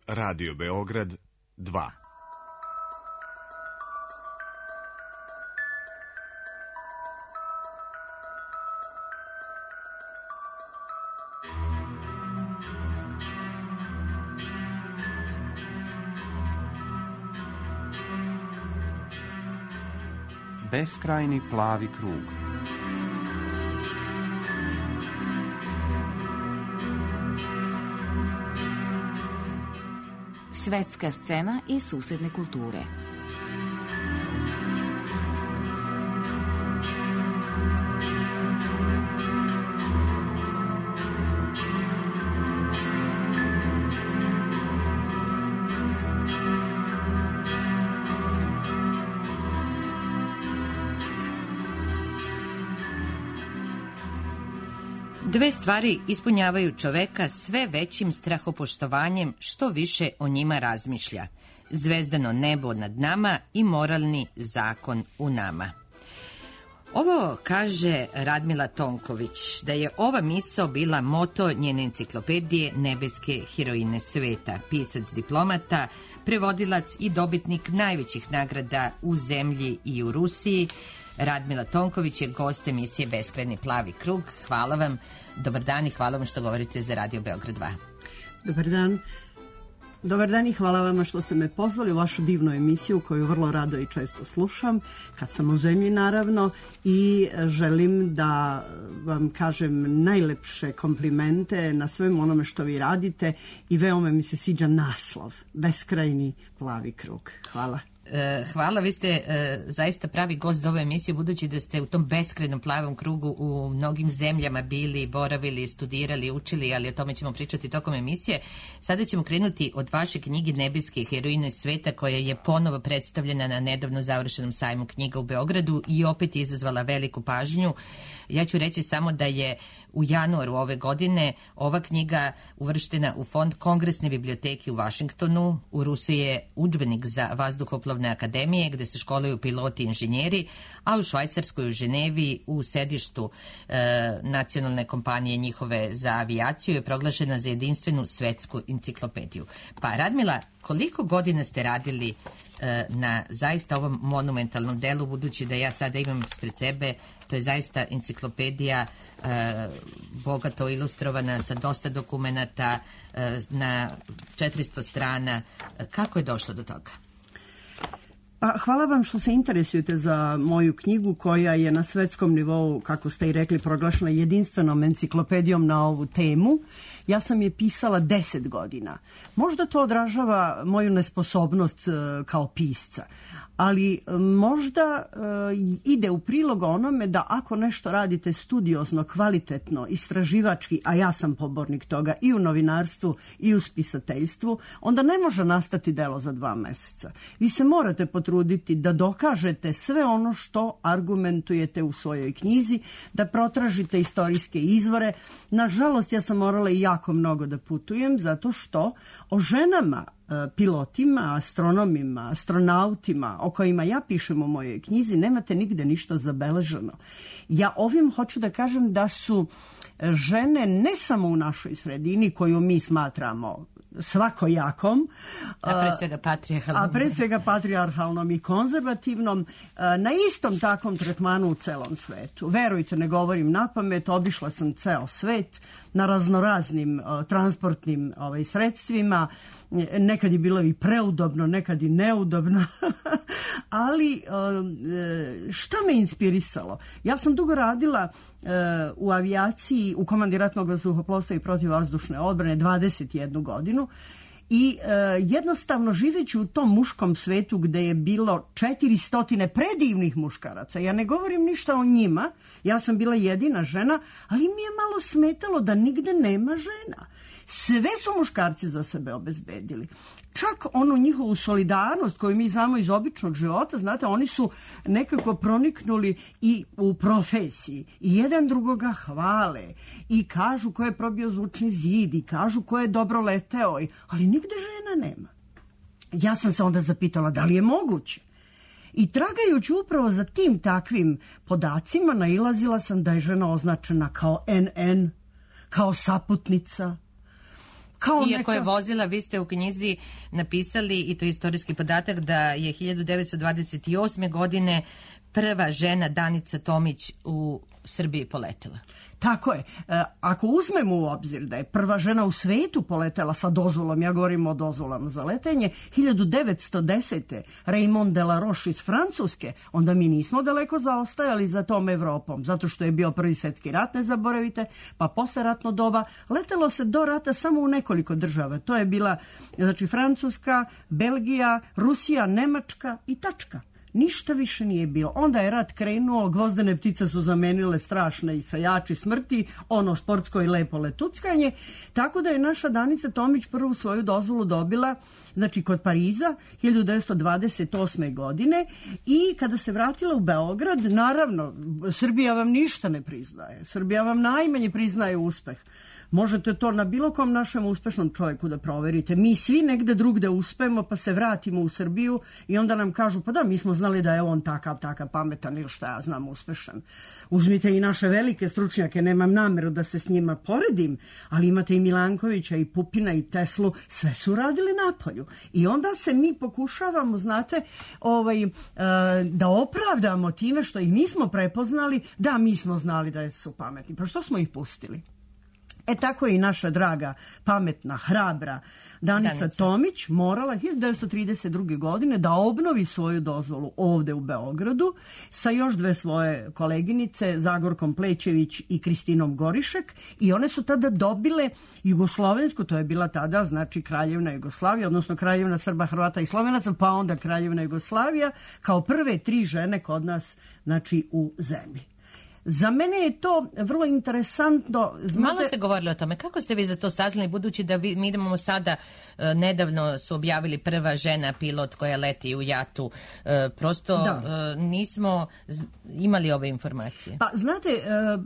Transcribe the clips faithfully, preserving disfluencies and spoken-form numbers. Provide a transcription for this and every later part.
Radio Beograd dva. Beskrajni plavi krug. Svetska scena i susedne kulture. Dve stvari ispunjavaju čoveka sve većim strahopoštovanjem što više o njima razmišlja. Zvezdano nebo nad nama i moralni zakon u nama. Ovo kaže Radmila Tonković, da je ova misao bila moto njene enciklopedije Nebeske heroine sveta, pisac diplomata, prevodilac i dobitnik najvećih nagrada u zemlji i u Rusiji. Radmila Tonković je gost emisije Beskrajni plavi krug. Hvala vam, dobar dan i hvala vam što govorite za Radio Beograd dva. Dobar dan. Dobar dan i hvala vama što ste me pozvali u vašu divnu emisiju koju vrlo rado i često slušam, kad sam u zemlji naravno, i želim da vam kažem najlepše komplimente na svem onome što vi radite i veoma mi se sviđa naslov, Beskrajni plavi krug. Hvala. Hvala, vi ste uh, zaista pravi gost za ovu emisiju, budući da ste u tom beskrajnom plavom krugu u mnogim zemljama bili, boravili, studirali, učili, ali o tome ćemo pričati tokom emisije. Sada ćemo krenuti od vaše knjige Nebeske heroine sveta, koja je ponovo predstavljena na nedavno završenom sajmu knjiga u Beogradu i opet je izazvala veliku pažnju. Ja ću reći samo da je u januaru ove godine ova knjiga uvrštena u fond Kongresne biblioteke u Vašingtonu. U Rusiji je udžbenik za vazduhoplovne akademije gde se školuju piloti i inženjeri, a u Švajcarskoj, u Ženevi, u sedištu e, nacionalne kompanije njihove za avijaciju je proglašena za jedinstvenu svetsku enciklopediju. Pa Radmila, koliko godina ste radili e, na zaista ovom monumentalnom delu, budući da ja sada imam spred sebe, to je zaista enciklopedija e, bogato ilustrovana sa dosta dokumenata e, na četiristo strana. Kako je došlo do toga? Pa, hvala vam što se interesujete za moju knjigu koja je na svetskom nivou, kako ste i rekli, proglašena jedinstvenom enciklopedijom na ovu temu. Ja sam je pisala deset godina. Možda to odražava moju nesposobnost uh, kao pisca, ali možda uh, ide u prilog onome da ako nešto radite studiozno, kvalitetno, istraživački, a ja sam pobornik toga i u novinarstvu i u spisateljstvu, onda ne može nastati delo za dva meseca. Vi se morate potruditi da dokažete sve ono što argumentujete u svojoj knjizi, da protražite istorijske izvore. Nažalost, ja sam morala i jako mnogo da putujem, zato što o ženama, pilotima, astronomima, astronautima, o kojima ja pišem u mojoj knjizi, nemate nigde ništa zabeleženo. Ja ovim hoću da kažem da su žene ne samo u našoj sredini, koju mi smatramo svakojakom, a pre svega patrijarhalnom, a pre svega patrijarhalnom i konzervativnom, na istom takvom tretmanu u celom svetu. Verujte, ne govorim napamet, obišla sam ceo svet na raznoraznim uh, transportnim ovaj, sredstvima. Nekad je bilo i preudobno, nekad i neudobno, ali uh, šta me inspirisalo? Ja sam dugo radila uh, u avijaciji, u komandi ratnog vazduhoplovstva i protivvazdušne odbrane dvadeset jednu godinu. I e, jednostavno živeći u tom muškom svetu gde je bilo četiristo predivnih muškaraca, ja ne govorim ništa o njima, ja sam bila jedina žena, ali mi je malo smetalo da nigde nema žena. Sve su muškarci za sebe obezbedili. Čak onu njihovu solidarnost koju mi znamo iz običnog života, znate, oni su nekako proniknuli i u profesiji. I jedan drugoga hvale i kažu ko je probio zvučni zid i kažu ko je dobro leteo, ali nigde žena nema. Ja sam se onda zapitala da li je moguće. I tragajući upravo za tim takvim podacima nailazila sam da je žena označena kao en en, kao saputnica, kao Iako neka... je vozila, vi ste u knjizi napisali, i to je istorijski podatak, da je hiljadu devetsto dvadeset osme. godine prva žena Danica Tomić u Srbiji poletela. Tako je. E, ako uzmemo u obzir da je prva žena u svetu poletela sa dozvolom, ja govorim o dozvolama za letenje, hiljadu devetsto desete. Raymond de la Roche iz Francuske, onda mi nismo daleko zaostajali za tom Evropom, zato što je bio prvi svetski rat, ne zaboravite, pa posle ratno doba letelo se do rata samo u nekoliko država. To je bila, znači, Francuska, Belgija, Rusija, Nemačka i tačka. Ništa više nije bilo. Onda je rat krenuo, gvozdene ptice su zamenile strašne i sajači smrti, ono sportsko i lepo letuckanje, tako da je naša Danica Tomić prvu svoju dozvolu dobila, znači kod Pariza, hiljadu devetsto dvadeset osme. godine, i kada se vratila u Beograd, naravno, Srbija vam ništa ne priznaje. Srbija vam najmanje priznaje uspeh. Možete to na bilo kom našem uspešnom čovjeku da proverite. Mi svi negde drugde uspemo, pa se vratimo u Srbiju i onda nam kažu, pa da, mi smo znali da je on takav, takav pametan ili šta ja znam uspešan. Uzmite i naše velike stručnjake, nemam nameru da se s njima poredim, ali imate i Milankovića, i Pupina, i Teslu, sve su radili napolju. I onda se mi pokušavamo, znate, ovaj, da opravdamo time što ih nismo prepoznali, da, mi smo znali da su pametni. Pa što smo ih pustili? E tako je i naša draga, pametna, hrabra Danica, Danica Tomić morala hiljadu devetsto trideset druge. godine da obnovi svoju dozvolu ovde u Beogradu sa još dve svoje koleginice, Zagorkom Plećević i Kristinom Gorišek, i one su tada dobile jugoslovensku, to je bila tada, znači, Kraljevna Jugoslavija, odnosno Kraljevna Srba, Hrvata i Slovenaca, pa onda Kraljevna Jugoslavija, kao prve tri žene kod nas, znači, u zemlji. Za mene je to vrlo interesantno. Znate... Malo se govorilo o tome. Kako ste vi za to saznali, budući da vi, mi idemo sada, e, nedavno su objavili prva žena pilot koja leti u jatu. E, prosto e, nismo imali ove informacije. Pa znate, e,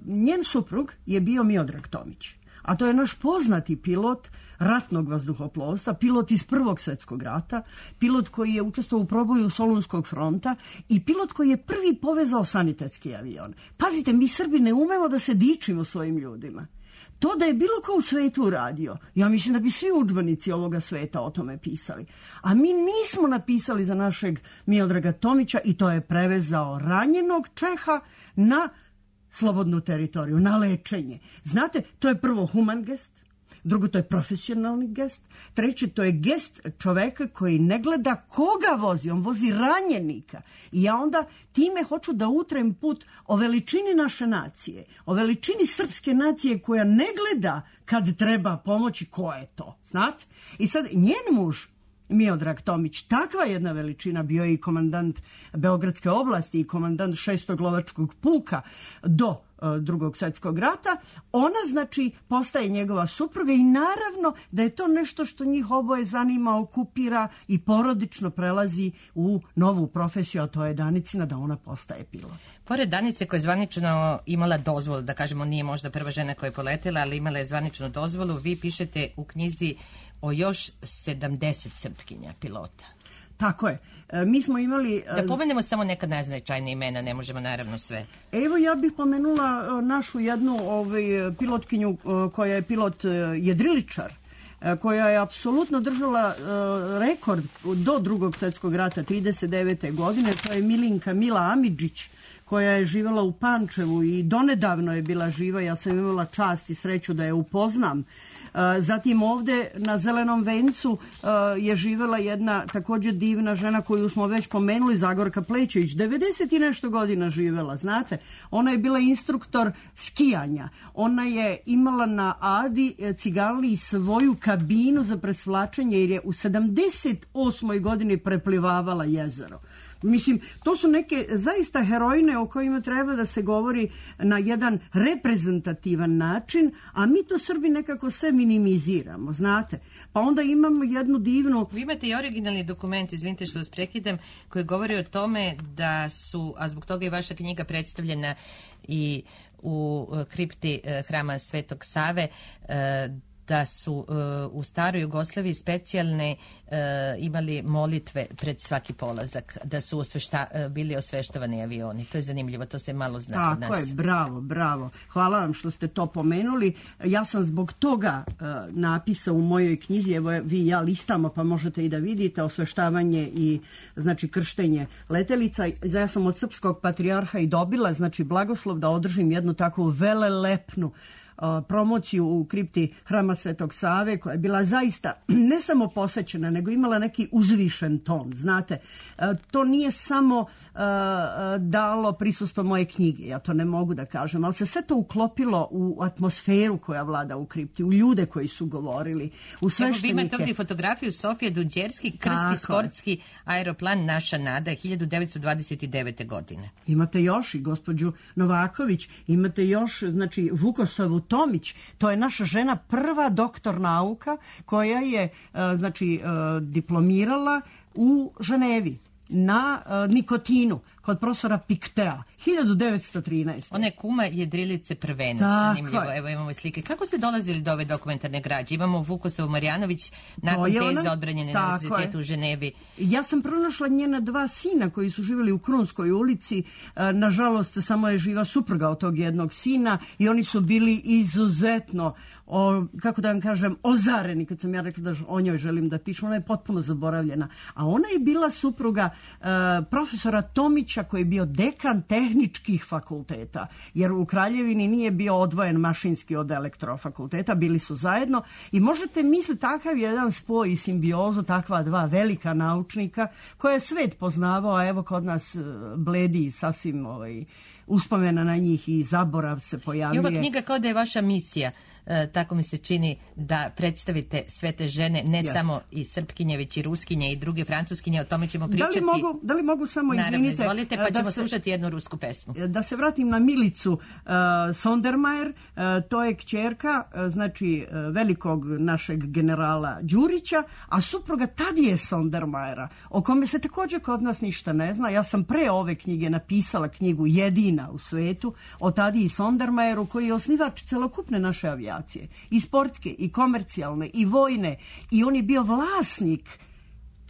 njen suprug je bio Miodrag Tomić, a to je naš poznati pilot ratnog vazduhoplovstva, pilot iz Prvog svetskog rata, pilot koji je učestvovao u proboju Solunskog fronta i pilot koji je prvi povezao sanitetski avion. Pazite, mi Srbi ne umemo da se dičimo svojim ljudima. To da je bilo ko u svetu uradio, ja mislim da bi svi udžbenici ovoga sveta o tome pisali. A mi nismo napisali za našeg Miodraga Tomića, i to je prevezao ranjenog Čeha na slobodnu teritoriju, na lečenje. Znate, to je prvo human gest, drugo, to je profesionalni gest, treće, to je gest čoveka koji ne gleda koga vozi, on vozi ranjenika. I ja onda time hoću da utrem put o veličini naše nacije, o veličini srpske nacije koja ne gleda kad treba pomoći, ko je to, znate? I sad njen muž, Miodrag Tomić, takva jedna veličina, bio je i komandant Beogradske oblasti i komandant šestog lovačkog puka do uh, drugog svjetskog rata, ona, znači, postaje njegova supruga i naravno da je to nešto što njih oboje zanima, okupira i porodično prelazi u novu profesiju, a to je Danicina, da ona postaje pilot. Pored Danice koja je zvanično imala dozvolu, da kažemo nije možda prva žena koja je poletela, ali imala je zvaničnu dozvolu, vi pišete u knjizi o još sedamdeset Srpkinja pilota. Tako je. E, mi smo imali... Da pomenemo samo neka najznačajnija imena, ne možemo naravno sve. Evo, ja bih pomenula našu jednu ovaj, pilotkinju koja je pilot jedriličar, koja je apsolutno držala uh, rekord do drugog svjetskog rata trideset devete. godine. To je Milinka Mila Amidžić, koja je živjela u Pančevu i donedavno je bila živa. Ja sam imala čast i sreću da je upoznam. Zatim ovde na Zelenom vencu je živjela jedna također divna žena koju smo već pomenuli, Zagorka Plećević, devedeset i nešto godina živjela, znate. Ona je bila instruktor skijanja. Ona je imala na Adi Cigaliji svoju kabinu za presvlačenje jer je u sedamdeset osmoj godini preplivavala jezero. Mislim, to su neke zaista herojne o kojima treba da se govori na jedan reprezentativan način, a mi to Srbi nekako sve minimiziramo, znate. Pa onda imamo jednu divnu... Vi imate i originalni dokument, izvinite što vas prekidam, koji govori o tome da su, a zbog toga je vaša knjiga predstavljena i u kripti hrama Svetog Save, da su uh, u staroj Jugoslaviji specijalne uh, imali molitve pred svaki polazak, da su osvešta, uh, bili osveštavani avioni. To je zanimljivo, to se malo zna od nas. Tako je, bravo, bravo. Hvala vam što ste to pomenuli. Ja sam zbog toga uh, napisao u mojoj knjizi, evo vi i ja listamo pa možete i da vidite, osveštavanje i znači krštenje letelica. Ja sam od srpskog patrijarha i dobila znači blagoslov da održim jednu takvu velelepnu promociju u kripti Hrama Svetog Save, koja je bila zaista ne samo posećena, nego imala neki uzvišen ton. Znate, to nije samo dalo prisustvo moje knjige, ja to ne mogu da kažem, ali se sve to uklopilo u atmosferu koja vlada u kripti, u ljude koji su govorili, u sveštenike. Evo vi imate ovdje fotografiju Sofije Dunđerski, krsti sportski aeroplan Naša nada hiljadu devetsto dvadeset devete. godine. Imate još i gospođu Novaković, imate još znači Vukosovu Tomić, to je naša žena, prva doktor nauka koja je znači diplomirala u Ženevi na nikotinu kod profesora Piktea hiljadu devetsto trinaeste. Ona je kuma jedrilice prvenac, zanimljivo. Evo imamo slike. Kako ste dolazili do ove dokumentarne građe? Imamo Vukosovu Marjanović nakon teze odbranjene na univerzitetu u Ženevi. Ja sam pronašla njena dva sina koji su živjeli u Krunskoj ulici. Nažalost, samo je živa supruga od tog jednog sina i oni su bili izuzetno, o, kako da vam kažem, ozareni kad sam ja rekla da o njoj želim da pišem. Ona je potpuno zaboravljena. A ona je bila supruga uh, profesora Tomića koji je bio dekan tehničkih fakulteta, jer u Kraljevini nije bio odvojen mašinski od elektrofakulteta, bili su zajedno i možete misliti takav jedan spoj i simbiozu takva dva velika naučnika koje je svet poznavao, a evo kod nas bledi sasvim ovaj, uspomena na njih i zaborav se pojavljuje. I ova knjiga kao da je vaša misija. E, tako mi se čini da predstavite sve te žene, ne yes. samo i Srpkinje, već i Ruskinje i druge Francuskinje, o tome ćemo pričati. Da li mogu, da li mogu samo, naravno, izvinite, izvolite, pa ćemo se, slušati jednu rusku pesmu. Da se vratim na Milicu uh, Sondermajer, uh, to je kćerka, uh, znači, uh, velikog našeg generala Đurića, a supruga Tadije Sondermajera, o kome se također kod nas ništa ne zna. Ja sam pre ove knjige napisala knjigu jedina u svetu o Tadiji Sondermajeru, koji je osnivač celokupne naše avijacije. I sportske, i komercijalne, i vojne. I on je bio vlasnik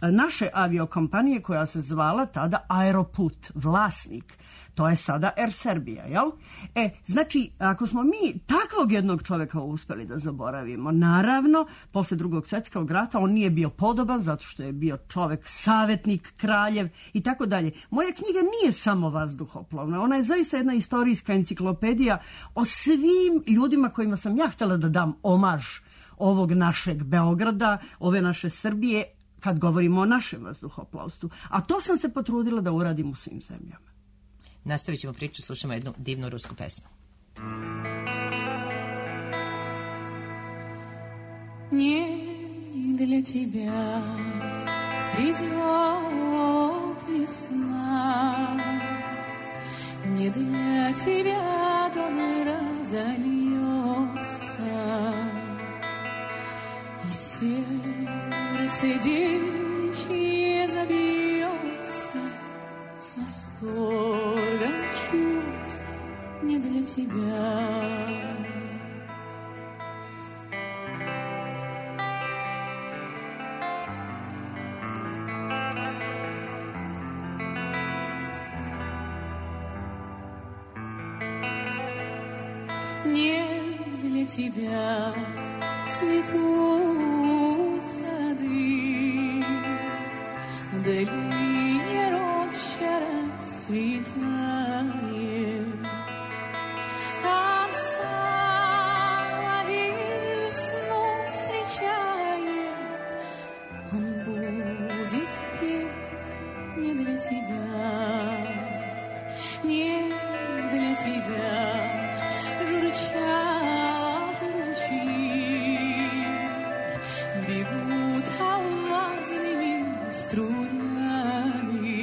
naše aviokompanije koja se zvala tada Aeroput. Vlasnik. To je sada Air Serbia, jel? E, znači, ako smo mi takvog jednog čovjeka uspeli da zaboravimo, naravno, posle drugog svjetskog rata on nije bio podoban zato što je bio čovjek, savjetnik, kraljev i tako dalje. Moja knjiga nije samo vazduhoplovna, ona je zaista jedna istorijska enciklopedija o svim ljudima kojima sam ja htjela da dam omaž ovog našeg Beograda, ove naše Srbije, kad govorimo o našem vazduhoplovstvu. A to sam se potrudila da uradim u svim zemljama. Nastavit ćemo priču, slušamo jednu divnu rusku pesmu. Не для тебя придет весна, не для тебя тон разольется, и сердце девичье забьется с восторгом чувств не для тебя. Не для тебя цветут сады, в долине роща расцветает. Там соловей весну встречает, он будет петь не для тебя, не для тебя. Журчат ручьи, бегут алмазными струями.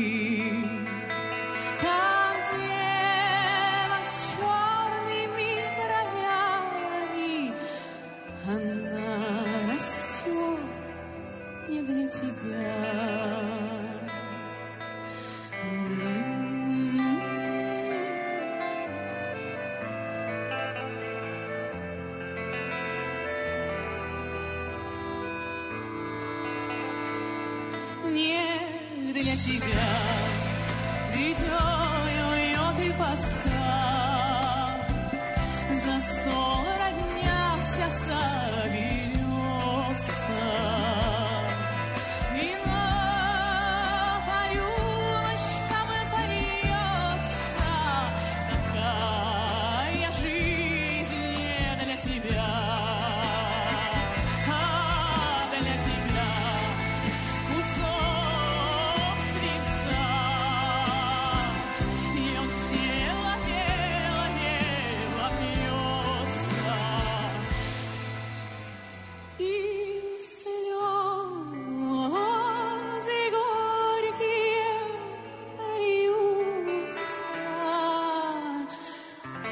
Там дева с черными бровями, она растет не для тебя. не для тебя. Придет и Пасха, за стол родня вся соберется. Вино по рюмочкам польется. Такая жизнь не для тебя, а для тебя кусок свинца. И он в тело, тело, тело пьется. И слезы горькие льются.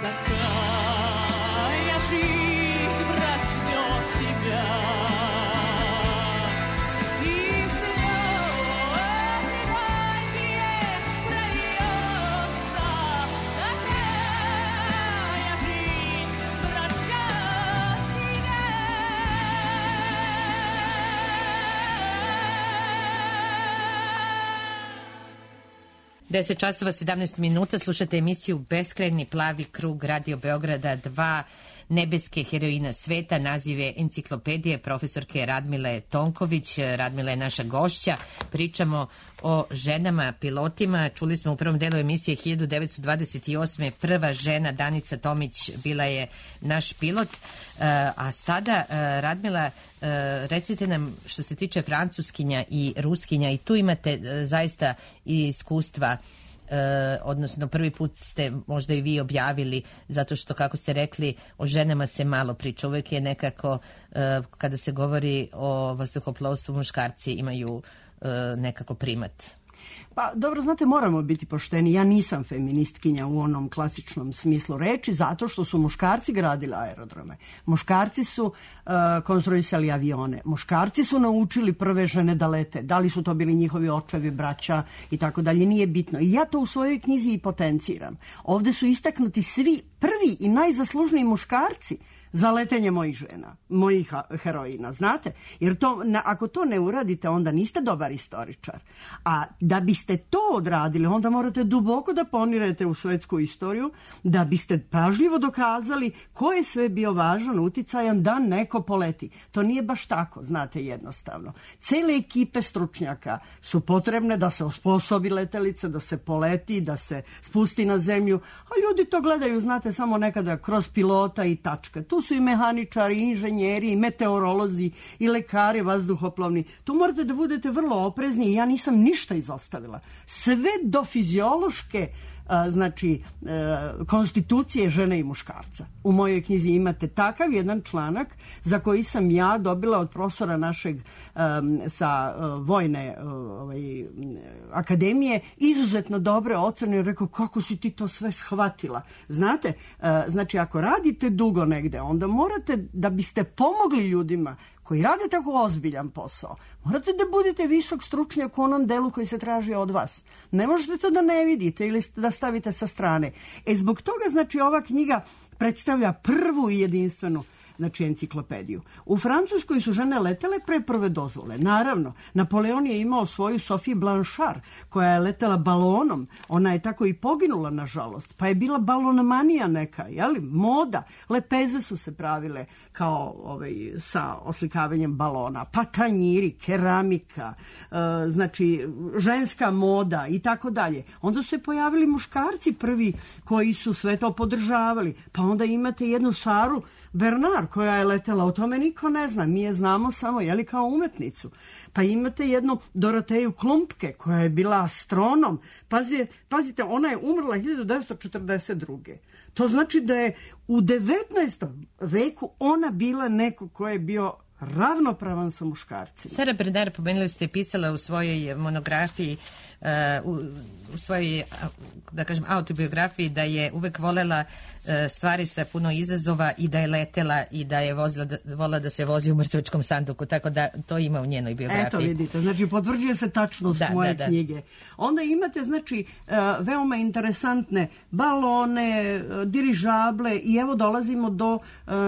Такая жизнь, брат, ждет тебя. И слезы горькие прольются. Такая жизнь, брат, ждет тебя. deset časova sedamnaest minuta, slušate emisiju Beskrajni plavi krug Radio Beograda dva, nebeske heroina sveta, nazive enciklopedije profesorke Radmile Tonković. Radmila je naša gošća. Pričamo o ženama pilotima. Čuli smo u prvom delu emisije hiljadu devetsto dvadeset osme. prva žena Danica Tomić bila je naš pilot. A sada, Radmila, recite nam što se tiče francuskinja i ruskinja, i tu imate zaista i iskustva, odnosno prvi put ste možda i vi objavili, zato što, kako ste rekli, o ženama se malo priča. Uvek je nekako, kada se govori o vazduhoplovstvu, muškarci imaju nekako primat. Pa dobro, znate, moramo biti pošteni. Ja nisam feministkinja u onom klasičnom smislu reči, zato što su muškarci gradili aerodrome. Muškarci su uh, konstruisali avione. Muškarci su naučili prve žene da lete. Da li su to bili njihovi očevi, braća i tako dalje, nije bitno. I ja to u svojoj knjizi i potenciram. Ovde su istaknuti svi prvi i najzaslužniji muškarci za letenje mojih žena, mojih heroina, znate? Jer to, na, ako to ne uradite, onda niste dobar istoričar. A da biste to odradili, onda morate duboko da ponirete u svetsku istoriju, da biste pažljivo dokazali ko je sve bio važan, uticajan da neko poleti. To nije baš tako, znate, jednostavno. Cele ekipe stručnjaka su potrebne da se osposobi letelica, da se poleti, da se spusti na zemlju, a ljudi to gledaju, znate, samo nekada kroz pilota i tačka. Tu su i mehaničari, i inženjeri, i meteorolozi, i lekari vazduhoplovni. Tu morate da budete vrlo oprezni i ja nisam ništa izostavila. Sve do fiziološke a, znači a, konstitucije žene i muškarca. U mojoj knjizi imate takav jedan članak za koji sam ja dobila od profesora našeg a, sa a, vojne a, ovaj, akademije izuzetno dobre ocene i rekao kako si ti to sve shvatila. Znate, a, znači ako radite dugo negde, onda morate, da biste pomogli ljudima koji rade tako ozbiljan posao, morate da budete visok stručnjak u onom delu koji se traži od vas. Ne možete to da ne vidite ili da stavite sa strane. E zbog toga, znači, ova knjiga predstavlja prvu i jedinstvenu, znači, enciklopediju. U Francuskoj su žene letele pre prve dozvole. Naravno, Napoleon je imao svoju Sophie Blanchard, koja je letela balonom. Ona je tako i poginula, nažalost. Pa je bila balonomanija neka, jeli? Moda. Lepeze su se pravile kao ovaj, sa oslikavanjem balona. Pa tanjiri, keramika, e, znači, ženska moda i tako dalje. Onda su se pojavili muškarci prvi koji su sve to podržavali. Pa onda imate jednu Saru Bernard, koja je letela, o tome niko ne zna, mi je znamo samo, jeli, kao umetnicu. Pa imate jednu Doroteju Klumpke, koja je bila astronom. Pazite, pazite, ona je umrla hiljadu devetsto četrdeset druge. To znači da je u devetnaestom veku ona bila neko ko je bio ravnopravan sa muškarcima. Sara Bernard, pomenuli ste, pisala u svojoj monografiji, uh, u, u svojoj, da kažem, autobiografiji, da je uvek volela uh, stvari sa puno izazova i da je letela i da je vozila da, vola da se vozi u mrtvačkom sanduku, tako da to ima u njenoj biografiji. Eto, vidite, znači potvrđuje se tačnost da, moje da, da. knjige. Onda imate, znači, uh, veoma interesantne balone, uh, dirižable i evo dolazimo do uh,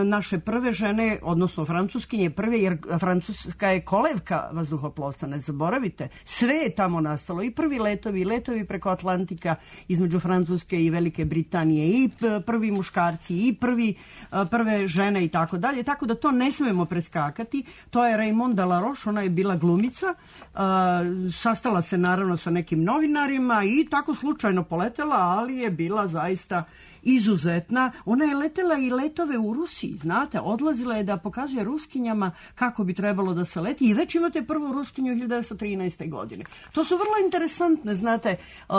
naše prve žene, odnosno francuskinje, prve prve, jer Francuska je kolevka vazduhoplovstva, ne zaboravite. Sve je tamo nastalo, i prvi letovi, i letovi preko Atlantika između Francuske i Velike Britanije, i prvi muškarci, i prvi, prve žene i tako dalje. Tako da to ne smemo predskakati. To je Raymond Delaroche, ona je bila glumica, sastala se naravno sa nekim novinarima i tako slučajno poletela, ali je bila zaista izuzetna. Ona je letela i letove u Rusiji, znate, odlazila je da pokazuje Ruskinjama kako bi trebalo da se leti i već imate prvu Ruskinju hiljadu devetsto trinaeste. godine. To su vrlo interesantne, znate,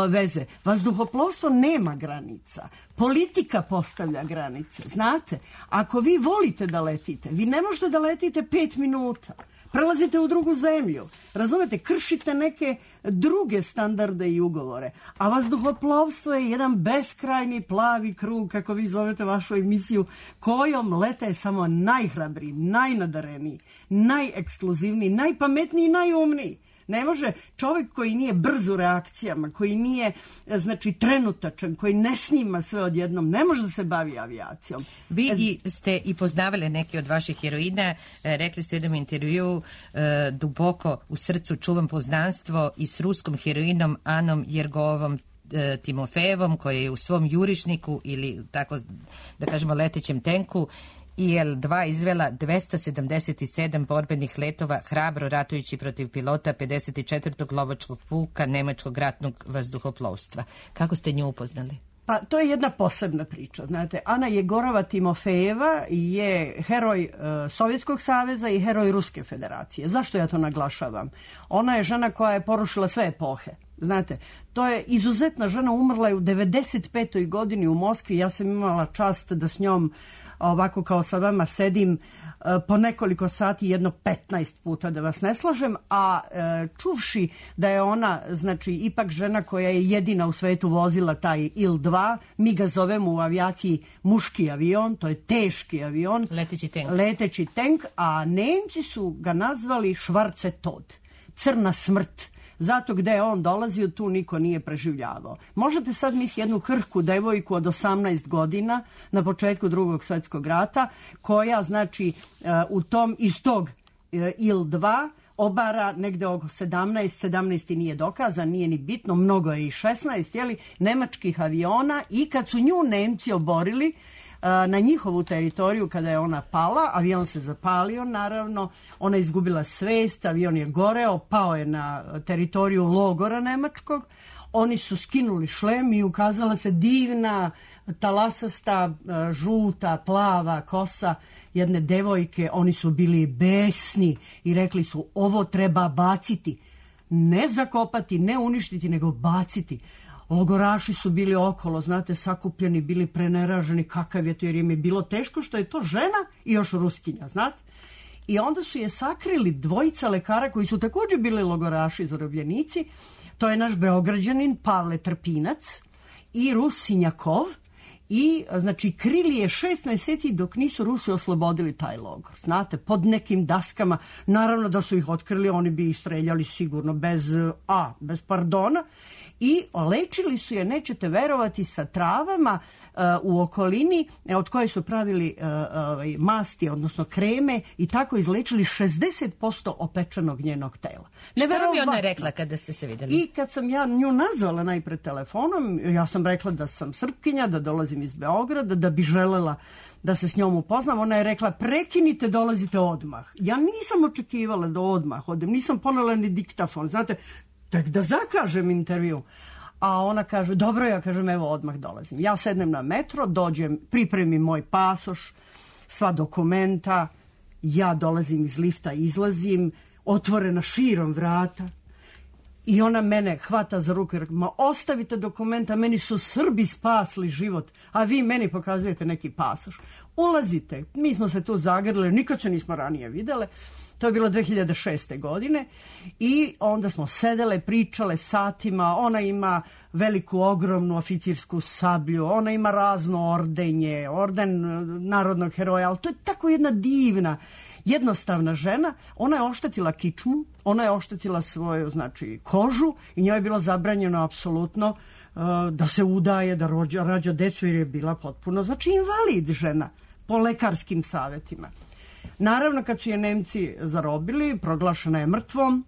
veze. Vazduhoplovstvo nema granica. Politika postavlja granice, znate. Ako vi volite da letite, vi ne možete da letite pet minuta. Prelazite u drugu zemlju, razumete, kršite neke druge standarde i ugovore, a vazduhoplovstvo je jedan beskrajni plavi krug, kako vi zovete vašu emisiju, kojom lete samo najhrabriji, najnadareniji, najekskluzivniji, najpametniji i najumniji. Ne može čovjek koji nije brz u reakcijama, koji nije, znači, trenutačan, koji ne snima sve odjednom, ne može da se bavi avijacijom. Vi i ste i poznavali neke od vaših heroina, rekli ste u jednom intervju, e, duboko u srcu čuvam poznanstvo i s ruskom heroinom Anom Jergovom e, Timofejevom, koja je u svom jurišniku ili tako da kažemo letećem tenku I L dva izvela dvesta sedamdeset sedam borbenih letova, hrabro ratujući protiv pilota pedeset četvrtog lovačkog puka Nemačkog ratnog vazduhoplovstva. Kako ste nju upoznali? Pa to je jedna posebna priča, znate. Ana Jegorova Timofejeva je heroj e, Sovjetskog saveza i heroj Ruske federacije. Zašto ja to naglašavam? Ona je žena koja je porušila sve epohe. Znate, to je izuzetna žena, umrla je u devedeset petoj godini u Moskvi. Ja sam imala čast da s njom ovako kao sa vama sedim po nekoliko sati, jedno petnaest puta, da vas ne slažem, a e, čuvši da je ona, znači, ipak žena koja je jedina u svetu vozila taj I L dva, mi ga zovemo u avijaciji muški avion, to je teški avion, leteći tank, leteći tank, a Nemci su ga nazvali Schwarze Tod, crna smrt. Zato gde je on dolazio, tu niko nije preživljavao. Možete sad misliti jednu krhku devojku od osamnaest godina na početku Drugog svjetskog rata, koja, znači, u tom, iz tog I L dva obara negde oko sedamnaest, sedamnaest nije dokazan, nije ni bitno, mnogo je i šesnaest, jeli, nemačkih aviona, i kad su nju Nemci oborili na njihovu teritoriju, kada je ona pala, avion se zapalio, naravno, ona je izgubila svest, avion je goreo, pao je na teritoriju logora nemačkog, oni su skinuli šlem i ukazala se divna, talasasta, žuta, plava kosa jedne devojke. Oni su bili besni i rekli su, ovo treba baciti, ne zakopati, ne uništiti, nego baciti. Logoraši su bili okolo, znate, sakupljeni, bili preneraženi, kakav je to, jer im je bilo teško što je to žena i još Ruskinja, znate. I onda su je sakrili dvojica lekara koji su također bili logoraši, zarobljenici. To je naš Beograđanin Pavle Trpinac i Rus Sinjakov. I, znači, krili je šest mjeseci dok nisu Rusi oslobodili taj logor. Znate, pod nekim daskama, naravno da su ih otkrili, oni bi ih streljali sigurno bez, a, bez pardona. I lečili su je, nećete verovati, sa travama uh, u okolini od koje su pravili uh, uh, masti, odnosno kreme, i tako izlečili šezdeset posto opečenog njenog tela. Šta vam je ona rekla kada ste se vidjeli? I kad sam ja nju nazvala najpred telefonom, ja sam rekla da sam Srpkinja, da dolazim iz Beograda, da bi želela da se s njom upoznam. Ona je rekla, prekinite, dolazite odmah. Ja nisam očekivala da odmah odem, nisam ponela ni diktafon, znate, tek da zakažem intervju. A ona kaže, dobro, ja kažem, evo odmah dolazim. Ja sednem na metro, dođem, pripremim moj pasoš, sva dokumenta, ja dolazim iz lifta, izlazim, otvorena širom vrata, i ona mene hvata za ruku i rekla, ma ostavite dokumenta, meni su Srbi spasli život, a vi meni pokazujete neki pasoš. Ulazite, mi smo se tu zagrlili, nikad se nismo ranije videle. To je bilo dve hiljade šeste. godine i onda smo sedele, pričale satima. Ona ima veliku, ogromnu oficirsku sablju, ona ima razno ordenje, orden narodnog heroja, ali to je tako jedna divna, jednostavna žena. Ona je oštetila kičmu, ona je oštetila svoju, znači, kožu, i njoj je bilo zabranjeno apsolutno uh, da se udaje, da rođa, rađa decu, jer je bila potpuno, znači, invalid žena po lekarskim savjetima. Naravno, kad su je Nemci zarobili, proglašena je mrtvom,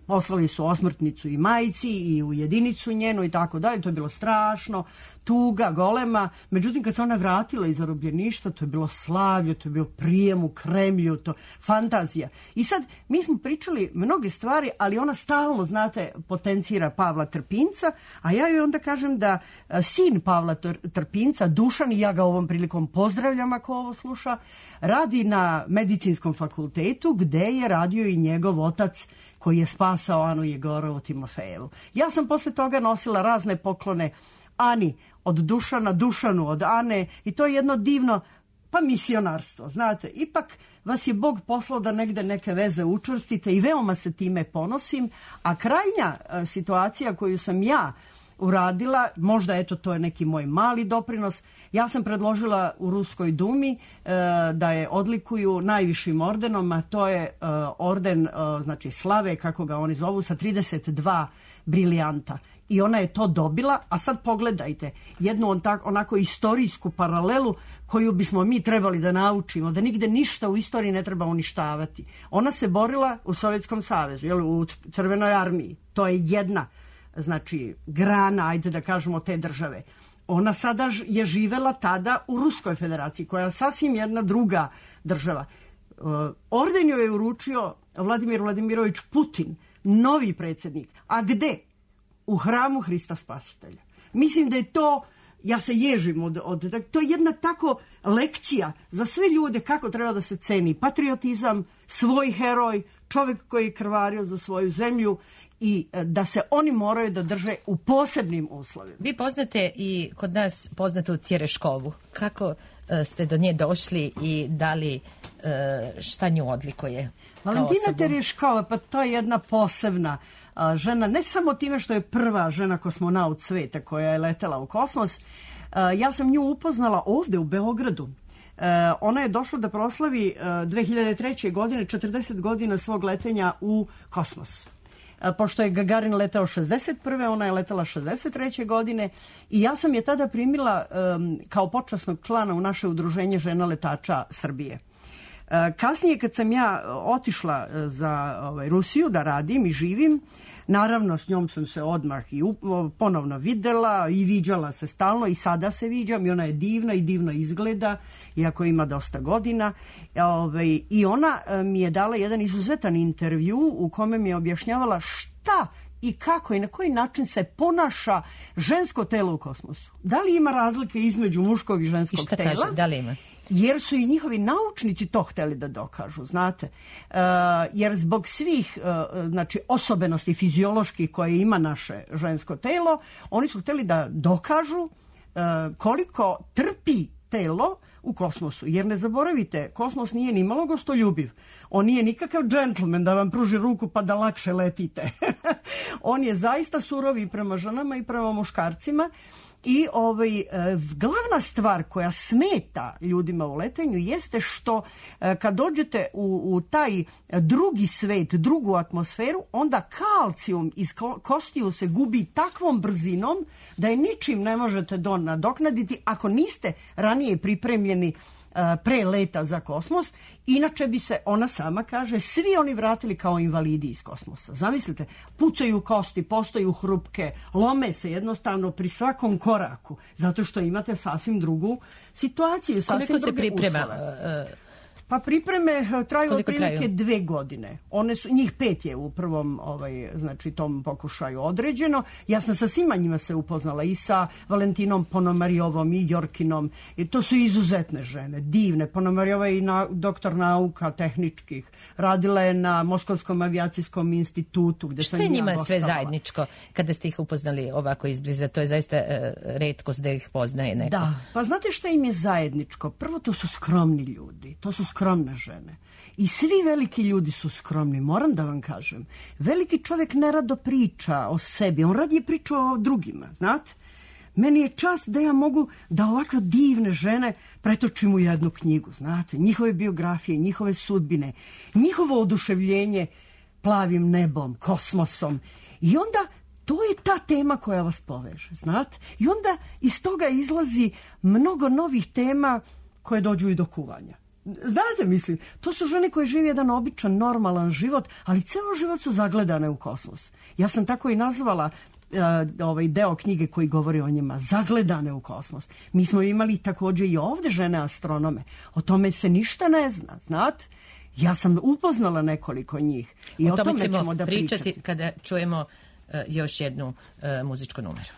poslali su osmrtnicu i majci i u jedinicu njenu i tako dalje, to je bilo strašno, tuga, golema. Međutim, kad se ona vratila iz zarobljeništva, to je bilo slavlje, to je bio prijem u Kremlju, to fantazija. I sad, mi smo pričali mnoge stvari, ali ona stalno, znate, potencira Pavla Trpinca, a ja joj onda kažem da a, sin Pavla Trpinca, Dušan, i ja ga ovom prilikom pozdravljam ako ovo sluša, radi na medicinskom fakultetu gde je radio i njegov otac koji je spasao Anu Jegorovu Timofejevu. Ja sam posle toga nosila razne poklone Ani, od Dušana Dušanu, od Ane, i to je jedno divno, pa misionarstvo, znate. Ipak vas je Bog poslao da negde neke veze učvrstite i veoma se time ponosim, a krajnja a, situacija koju sam ja uradila, možda eto to je neki moj mali doprinos, ja sam predložila u Ruskoj dumi e, da je odlikuju najvišim ordenom, a to je e, orden e, znači slave, kako ga oni zovu, sa trideset dva brilijanta. I ona je to dobila, a sad pogledajte jednu on tak, onako istorijsku paralelu koju bismo mi trebali da naučimo, da nigde ništa u istoriji ne treba uništavati. Ona se borila u Sovjetskom savezu, jel, u Crvenoj armiji. To je jedna, znači, grana, ajde da kažemo, te države. Ona sada je živela tada u Ruskoj federaciji, koja je sasvim jedna druga država. Orden joj je uručio Vladimir Vladimirović Putin, novi predsjednik. A gde? U hramu Hrista Spasitelja. Mislim da je to, ja se ježim od, od, to je jedna tako lekcija za sve ljude kako treba da se ceni patriotizam, svoj heroj, čovjek koji je krvario za svoju zemlju i da se oni moraju da drže u posebnim uslovima. Vi poznate i kod nas poznatu Tjereškovu. Kako uh, ste do nje došli i da li uh, šta nju odlikuje? Valentina Tereškova, pa to je jedna posebna a, žena, ne samo time što je prva žena kosmonaut sveta koja je letela u kosmos. A, ja sam nju upoznala ovde u Beogradu. A, ona je došla da proslavi a, dve hiljade treće. godine četrdeset godina svog letenja u kosmos. A, pošto je Gagarin letao šezdeset prve. ona je letela šezdeset treće. godine i ja sam je tada primila a, kao počasnog člana u naše udruženje žena letača Srbije. Kasnije kad sam ja otišla za ovaj, Rusiju da radim i živim, naravno s njom sam se odmah i ponovno videla i viđala se stalno i sada se viđam i ona je divna i divno izgleda, iako ima dosta godina. Ovaj, I ona mi je dala jedan izuzetan intervju u kome mi je objašnjavala šta i kako i na koji način se ponaša žensko telo u kosmosu. Da li ima razlike između muškog i ženskog I šta tela? Kaže, da li ima? Jer su i njihovi naučnici to hteli da dokažu, znate. Uh, jer zbog svih uh, znači osobenosti fizioloških koje ima naše žensko telo, oni su hteli da dokažu uh, koliko trpi telo u kosmosu. Jer ne zaboravite, kosmos nije ni malo gostoljubiv. On nije nikakav džentlmen da vam pruži ruku pa da lakše letite. On je zaista surov i prema ženama i prema muškarcima. I ovaj, glavna stvar koja smeta ljudima u letenju jeste što kad dođete u, u taj drugi svet, drugu atmosferu, onda kalcijum iz kostiju se gubi takvom brzinom da je ničim ne možete do nadoknaditi ako niste ranije pripremljeni pre leta za kosmos. Inače bi se, ona sama kaže, svi oni vratili kao invalidi iz kosmosa. Zamislite, pucaju kosti, postaju hrupke, lome se jednostavno pri svakom koraku, zato što imate sasvim drugu situaciju, sasvim Koliko druge se priprema? uslove. Pa pripreme traju Koliko otprilike traju? dve godine. One su, njih pet je u prvom ovaj, znači, tom pokušaju određeno. Ja sam sa svima njima se upoznala i sa Valentinom Ponomarjovom i Jorkinom. I to su izuzetne žene, divne. Ponomarjova je i na, doktor nauka tehničkih. Radila je na Moskovskom avijacijskom institutu. Gde Što sam je ja njima sve gostovala. zajedničko kada ste ih upoznali ovako izbliza? To je zaista uh, retkost da ih poznaje neko. Da, pa znate šta im je zajedničko? Prvo, to su skromni ljudi, to su skromne žene. I svi veliki ljudi su skromni, moram da vam kažem. Veliki čovjek nerado priča o sebi, on radije priča o drugima, znate? Meni je čast da ja mogu da ovako divne žene pretočim u jednu knjigu, znate? Njihove biografije, njihove sudbine, njihovo oduševljenje plavim nebom, kosmosom. I onda to je ta tema koja vas poveže, znate? I onda iz toga izlazi mnogo novih tema koje dođu i do kuvanja. Znate, mislim, to su žene koje žive jedan običan, normalan život, ali ceo život su zagledane u kosmos. Ja sam tako i nazvala uh, ovaj deo knjige koji govori o njima, zagledane u kosmos. Mi smo imali također i ovdje žene astronome. O tome se ništa ne zna, znate? Ja sam upoznala nekoliko njih. I o, o tome, tome ćemo, ćemo da pričati pričati kada čujemo uh, još jednu uh, muzičku numeru.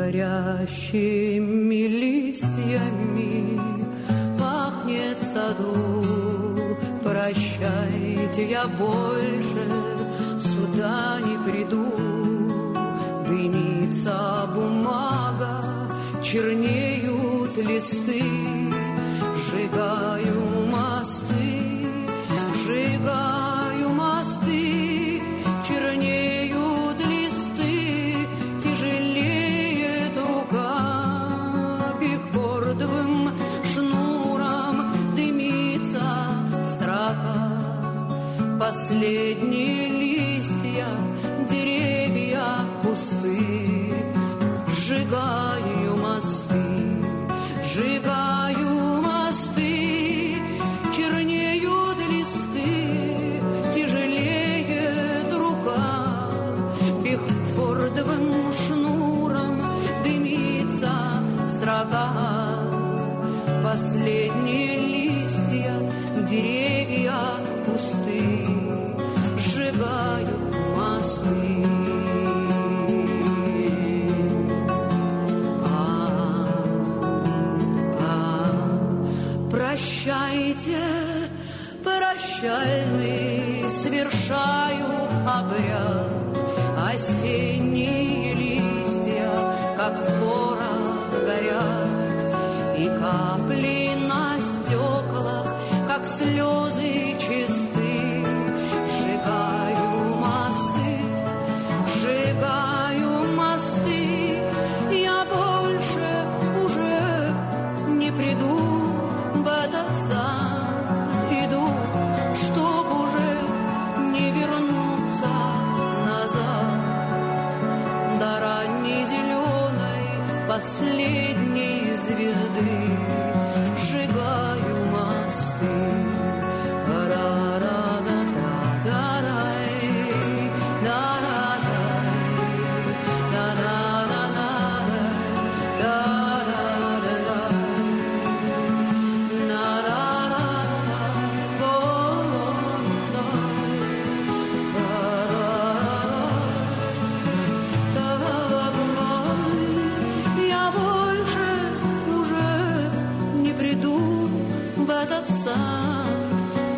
Горящими листьями пахнет саду. Прощайте, я больше сюда не приду. Дымится бумага, чернеют листы. Сжигаю мосты, сжигаю мосты, чернеют листы, тяжелеет рука, бигфордовым шнуром дымится строка. Последние листья, деревья пусты, сжигаю мосты, сжигаю мосты, чернеют листы, тяжелеет рука, бигфордовым шнуром дымится строка. Последние листья, деревья пусты, сжигаю мосты. Прощайте, прощальный, совершаю обряд. Осенние листья, как порох, горят, и капли на стеклах, как слезы чисты. Сжигаю мосты, сжигаю мосты, я больше уже не приду. В этот сад иду, чтоб уже не вернуться назад. До ранней зеленой последней звезды сжигаю мосты.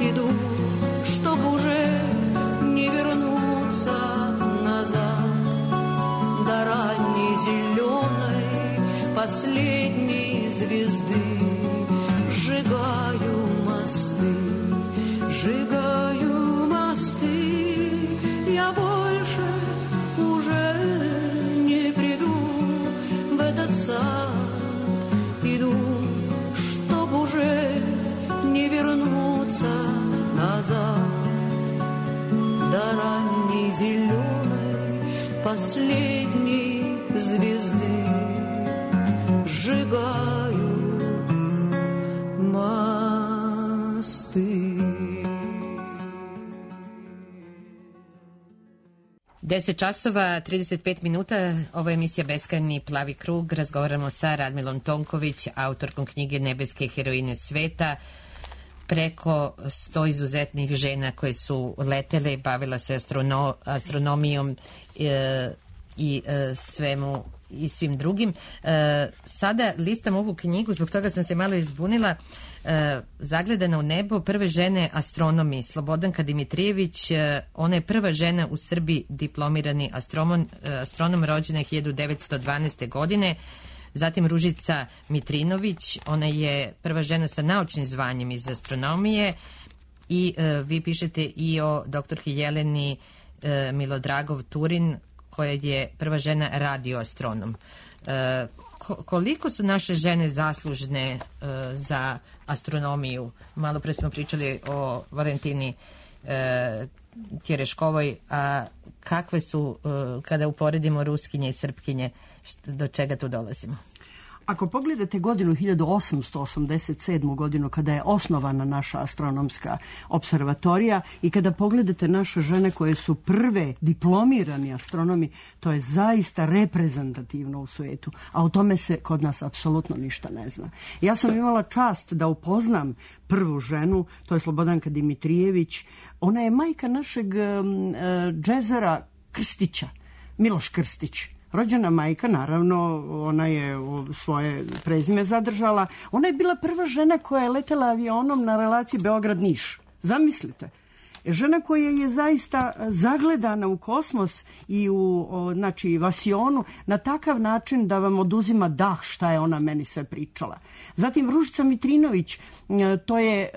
Иду, чтоб уже не вернуться назад. До ранней зеленой последней звезды сжигаю мосты, сжигаю мосты. Я больше уже не приду в этот сад. Иду, чтоб уже не вернуться назад. До ранней зеленой последней звезды сжигаю мосты. deset časova, trideset pet minuta, ovo je emisija Beskrajni plavi krug. Razgovaramo sa Radmilom Tonković, autorkom knjige Nebeske heroine sveta. Preko sto izuzetnih žena koje su letele, bavila se astrono, astronomijom e, i e, svemu i svim drugim. E, sada listam ovu knjigu, zbog toga sam se malo izbunila. E, Zagledana u nebo, prve žene astronomi. Slobodanka Dimitrijević, e, ona je prva žena u Srbiji diplomirani astronom, astronom rođena hiljadu devetsto dvanaeste. godine. Zatim Ružica Mitrinović, ona je prva žena sa naučnim zvanjem iz astronomije. I e, vi pišete i o doktorki Jeleni e, Milodragov Turin, koja je prva žena radioastronom. E, koliko su naše žene zaslužne uh, za astronomiju? Malo pre smo pričali o Valentini uh, Tjereškovoj, a kakve su, uh, kada uporedimo Ruskinje i Srpkinje, što, do čega tu dolazimo? Ako pogledate godinu hiljadu osamsto osamdeset sedmu godinu kada je osnovana naša astronomska observatorija i kada pogledate naše žene koje su prve diplomirani astronomi, to je zaista reprezentativno u svetu, a o tome se kod nas apsolutno ništa ne zna. Ja sam imala čast da upoznam prvu ženu, to je Slobodanka Dimitrijević. Ona je majka našeg um, džezera Krstića, Miloš Krstić. Rođena majka, naravno, ona je svoje prezime zadržala. Ona je bila prva žena koja je letela avionom na relaciji Beograd-Niš. Zamislite. Žena koja je zaista zagledana u kosmos i u, o, znači, vasionu na takav način da vam oduzima dah šta je ona meni sve pričala. Zatim Ružica Mitrinović, to je e,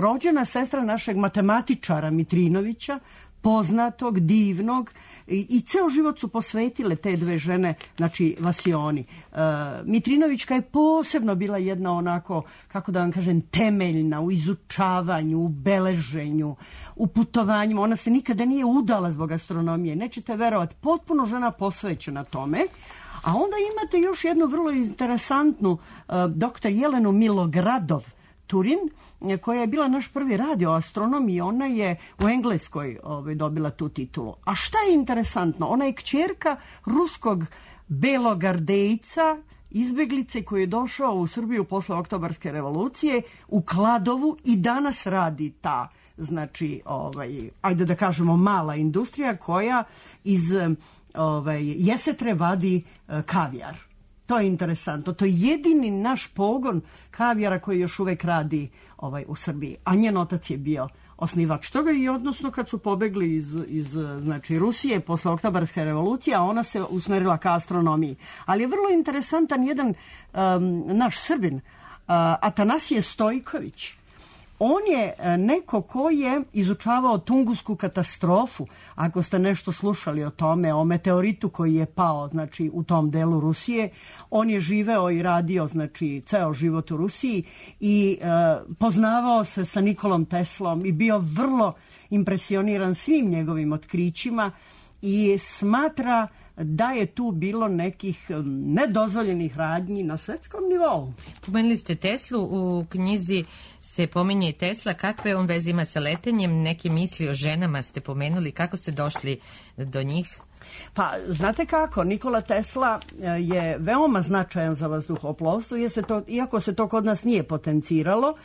rođena sestra našeg matematičara Mitrinovića, poznatog, divnog, i, i ceo život su posvetile te dve žene, znači vasioni. E, Mitrinovićka je posebno bila jedna onako, kako da vam kažem, temeljna u izučavanju, u beleženju, u putovanjima. Ona se nikada nije udala zbog astronomije. Nećete verovati, potpuno žena posvećena tome. A onda imate još jednu vrlo interesantnu, e, doktor Jelenu Milogradov Turin, koja je bila naš prvi radioastronom i ona je u Engleskoj ovaj, dobila tu titulu. A šta je interesantno? Ona je kćerka ruskog belogardejca, izbeglice koji je došao u Srbiju posle Oktobarske revolucije u Kladovu i danas radi ta, znači, ovaj, ajde da kažemo, mala industrija koja iz ovaj, jesetre vadi eh, kavijar. To je interesantno. To je jedini naš pogon kavijara koji još uvek radi ovaj, u Srbiji. A njen otac je bio osnivač toga i odnosno kad su pobegli iz, iz znači, Rusije posle Oktobarske revolucije, a ona se usmerila ka astronomiji. Ali je vrlo interesantan jedan um, naš Srbin, uh, Atanasije Stojković. On je neko ko je izučavao Tungusku katastrofu, ako ste nešto slušali o tome, o meteoritu koji je pao, znači, u tom delu Rusije. On je živeo i radio, znači, ceo život u Rusiji i e, poznavao se sa Nikolom Teslom i bio vrlo impresioniran svim njegovim otkrićima i smatra da je tu bilo nekih nedozvoljenih radnji na svetskom nivou. Pomenuli ste Teslu, u knjizi se pominje i Tesla. Kakve on veze ima sa letenjem? Neke misli o ženama ste pomenuli. Kako ste došli do njih? Pa, znate kako, Nikola Tesla je veoma značajan za vazduhoplovstvo, iako se to kod nas nije potenciralo.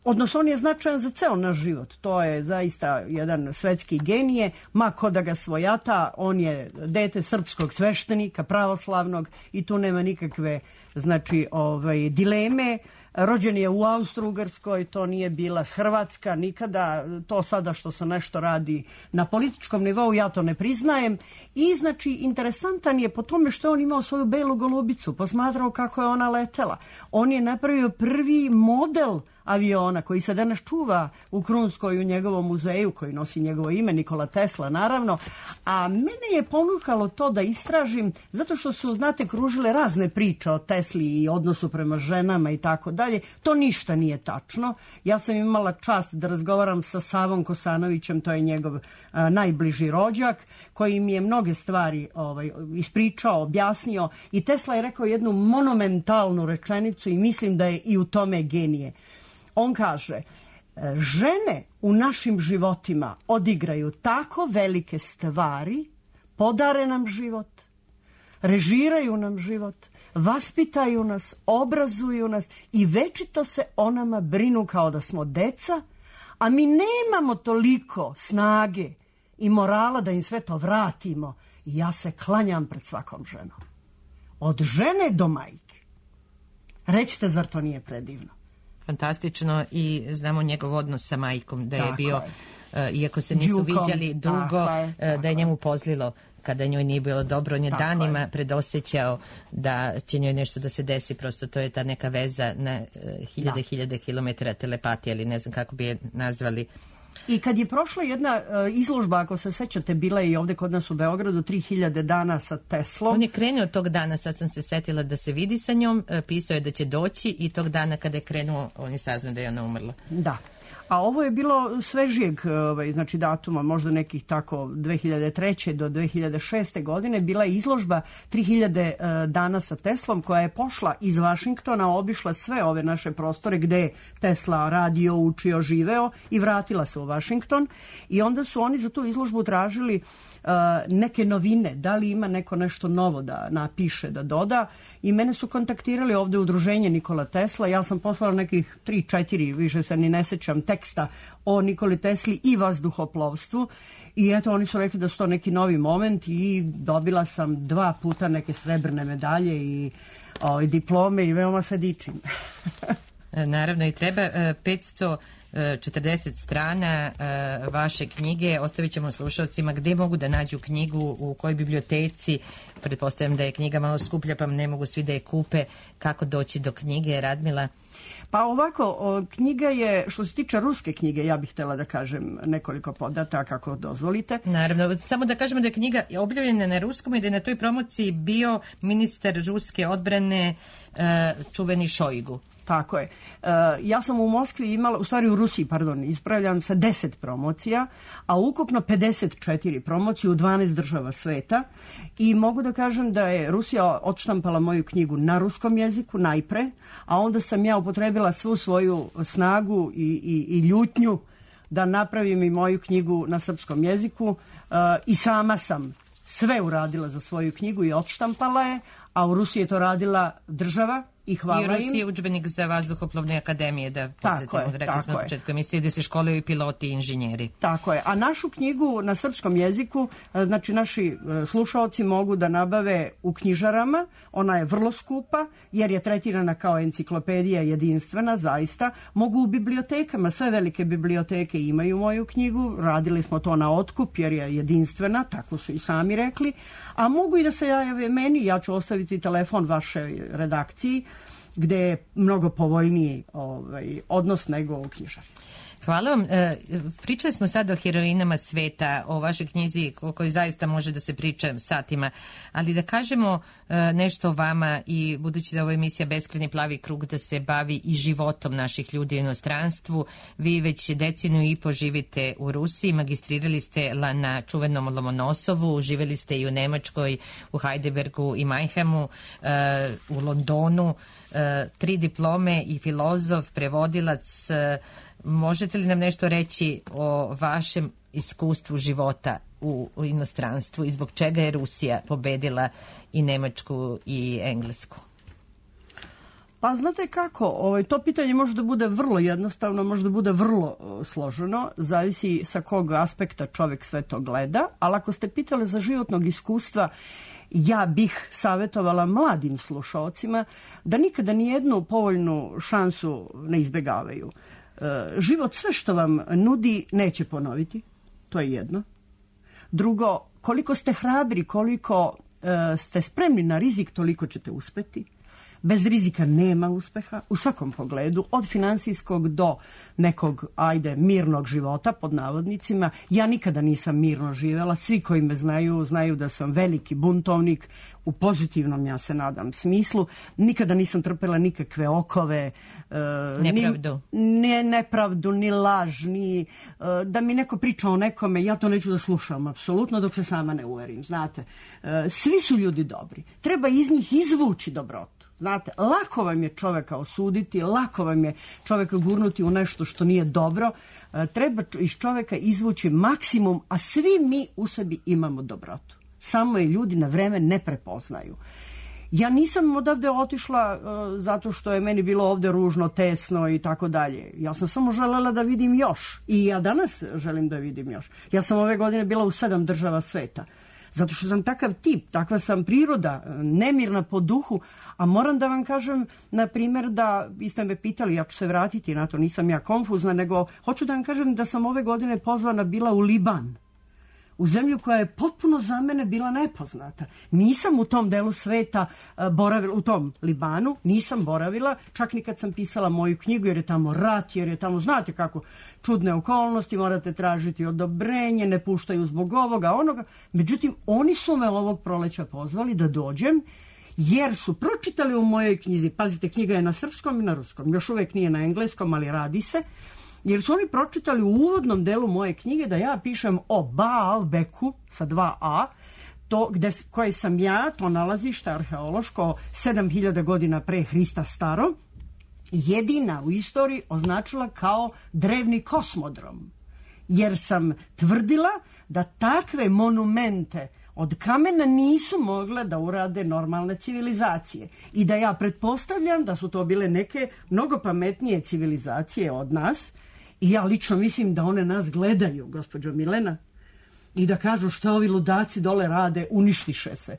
Odnosno, on je značajan za ceo naš život. To je zaista jedan svetski genije. Ma ko da ga svojata, on je dete srpskog sveštenika, pravoslavnog, i tu nema nikakve, znači, ovaj, dileme. Rođen je u Austro-Ugarskoj, to nije bila Hrvatska nikada. To sada što se nešto radi na političkom nivou, ja to ne priznajem. I, znači, interesantan je po tome što on imao svoju belu golubicu, posmatrao kako je ona letela. On je napravio prvi model aviona koji se danas čuva u Krunskoj, u njegovom muzeju koji nosi njegovo ime, Nikola Tesla, naravno. A mene je ponukalo to da istražim, zato što su, znate, kružile razne priče o Tesli i odnosu prema ženama i tako dalje. To ništa nije tačno. Ja sam imala čast da razgovaram sa Savom Kosanovićem, to je njegov a, najbliži rođak, koji mi je mnoge stvari ovaj, ispričao, objasnio, i Tesla je rekao jednu monumentalnu rečenicu i mislim da je i u tome genije. On kaže, žene u našim životima odigraju tako velike stvari, podare nam život, režiraju nam život, vaspitaju nas, obrazuju nas i večito se o nama brinu kao da smo deca, a mi nemamo toliko snage i morala da im sve to vratimo. I ja se klanjam pred svakom ženom. Od žene do majke. Recite, zar to nije predivno? Fantastično, i znamo njegov odnos sa majkom, da je tako bio, je. Uh, iako se nisu Đukom, viđali dugo, je, uh, da je njemu pozlilo kada njoj nije bilo dobro. On je tako danima je. predosjećao da će njoj nešto da se desi, prosto to je ta neka veza na uh, hiljade, da. hiljade kilometara telepatije, ali ne znam kako bi je nazvali. I kad je prošla jedna uh, izložba, ako se sećate, bila je i ovde kod nas u Beogradu, tri hiljade dana sa Teslom. On je krenuo tog dana, sad sam se setila da se vidi sa njom, pisao je da će doći i tog dana kada je krenuo, on je saznao da je ona umrla. Da. A ovo je bilo svežijeg ovaj, znači datuma, možda nekih tako dve hiljade treće do dve hiljade šeste godine, bila je izložba tri hiljade uh, dana sa Teslom, koja je pošla iz Vašingtona, obišla sve ove naše prostore gde je Tesla radio, učio, živeo i vratila se u Vašington. I onda su oni za tu izložbu tražili Uh, neke novine, da li ima neko nešto novo da napiše, da doda, i mene su kontaktirali ovde udruženje Nikola Tesla. Ja sam poslala nekih tri, četiri, više se ni ne sećam, teksta o Nikoli Tesli i vazduhoplovstvu, i eto oni su rekli da su to neki novi moment i dobila sam dva puta neke srebrne medalje i o, diplome i veoma se dičim. Naravno, i treba petsto četrdeset strana uh, vaše knjige. Ostavit ćemo slušalcima gde mogu da nađu knjigu, u kojoj biblioteci. Pretpostavljam da je knjiga malo skuplja, pa ne mogu svi da je kupe. Kako doći do knjige, Radmila? Pa ovako, o, knjiga je, što se tiče ruske knjige, ja bih htjela da kažem nekoliko podataka, ako dozvolite. Naravno, samo da kažemo da je knjiga objavljena na ruskom i da je na toj promociji bio ministar ruske odbrane uh, čuveni Šojgu. Tako je. Uh, ja sam u Moskvi imala, u stvari u Rusiji, pardon, ispravljam se, deset promocija, a ukupno pedeset četiri promocije u dvanaest država sveta, i mogu da kažem da je Rusija odštampala moju knjigu na ruskom jeziku najpre, a onda sam ja upotrebila svu svoju snagu i, i, i ljutnju da napravim i moju knjigu na srpskom jeziku, uh, i sama sam sve uradila za svoju knjigu i odštampala je, a u Rusiji je to radila država. I hvala im. I u Rusiji je udžbenik za vazduhoplovne akademije, da podsjetimo, rekli smo na početku emisije, da se školuju i piloti i inženjeri. Tako je. A našu knjigu na srpskom jeziku, znači naši slušaoci mogu da nabave u knjižarama. Ona je vrlo skupa, jer je tretirana kao enciklopedija jedinstvena, zaista. Mogu u bibliotekama, sve velike biblioteke imaju moju knjigu, radili smo to na otkup, jer je jedinstvena, tako su i sami rekli. A mogu i da se jave meni, ja ću ostaviti telefon vašoj redakciji, gde je mnogo povoljniji ovaj, odnos nego u knjižari. Hvala vam. E, pričali smo sad o heroinama sveta, o vašoj knjizi o kojoj zaista može da se priča satima, ali da kažemo e, nešto o vama, i budući da ovo je emisija Beskrajni plavi krug, da se bavi i životom naših ljudi u inostranstvu. Vi već deceniju i po živite u Rusiji, magistrirali ste na čuvenom Lomonosovu, živjeli ste i u Nemačkoj, u Heidelbergu i Mannheimu, e, u Londonu, e, tri diplome i filozof, prevodilac. E, Možete li nam nešto reći o vašem iskustvu života u, u inostranstvu i zbog čega je Rusija pobedila i Nemačku i Englesku? Pa znate kako, ovaj, to pitanje može da bude vrlo jednostavno, može da bude vrlo uh, složeno, zavisi sa kog aspekta čovjek sve to gleda, ali ako ste pitali za životnog iskustva, ja bih savjetovala mladim slušaocima da nikada nijednu povoljnu šansu ne izbjegavaju. Život sve što vam nudi neće ponoviti, to je jedno. Drugo, koliko ste hrabri, koliko uh, ste spremni na rizik, toliko ćete uspeti. Bez rizika nema uspeha u svakom pogledu, od finansijskog do nekog, ajde, mirnog života, pod navodnicima. Ja nikada nisam mirno živela, svi koji me znaju, znaju da sam veliki buntovnik, u pozitivnom, ja se nadam, smislu. Nikada nisam trpela nikakve okove, uh, nepravdu. Ni, ne, nepravdu, ni laž, ni uh, da mi neko priča o nekome, ja to neću da slušam, apsolutno, dok se sama ne uverim, znate. Uh, svi su ljudi dobri, treba iz njih izvući dobrotu. Znate, lako vam je čoveka osuditi, lako vam je čoveka gurnuti u nešto što nije dobro. E, treba iz čoveka izvući maksimum, a svi mi u sebi imamo dobrotu. Samo je ljudi na vreme ne prepoznaju. Ja nisam odavde otišla uh, zato što je meni bilo ovde ružno, tesno i tako dalje. Ja sam samo želela da vidim još. I ja danas želim da vidim još. Ja sam ove godine bila u sedam država sveta. Zato što sam takav tip, takva sam priroda, nemirna po duhu, a moram da vam kažem, na primjer, da, vi ste me pitali, ja ću se vratiti na to, nisam ja konfuzna, nego hoću da vam kažem da sam ove godine pozvana bila u Liban. u zemlju koja je potpuno za mene bila nepoznata. Nisam u tom delu sveta uh, boravila, u tom Libanu, nisam boravila, čak ni kad sam pisala moju knjigu, jer je tamo rat, jer je tamo, znate kako, čudne okolnosti, morate tražiti odobrenje, ne puštaju zbog ovoga, onoga. Međutim, oni su me ovog proleća pozvali da dođem, jer su pročitali u mojoj knjizi, pazite, knjiga je na srpskom i na ruskom, još uvek nije na engleskom, ali radi se, jer su oni pročitali u uvodnom delu moje knjige da ja pišem o Baalbeku sa dva A, to gde, koje sam ja, to nalazište arheološko, sedam hiljada godina pre Hrista staro, jedina u istoriji označila kao drevni kosmodrom. Jer sam tvrdila da takve monumente od kamena nisu mogle da urade normalne civilizacije. I da ja pretpostavljam da su to bile neke mnogo pametnije civilizacije od nas. I ja lično mislim da one nas gledaju, gospođo Milena, i da kažu šta ovi ludaci dole rade, uništiše se.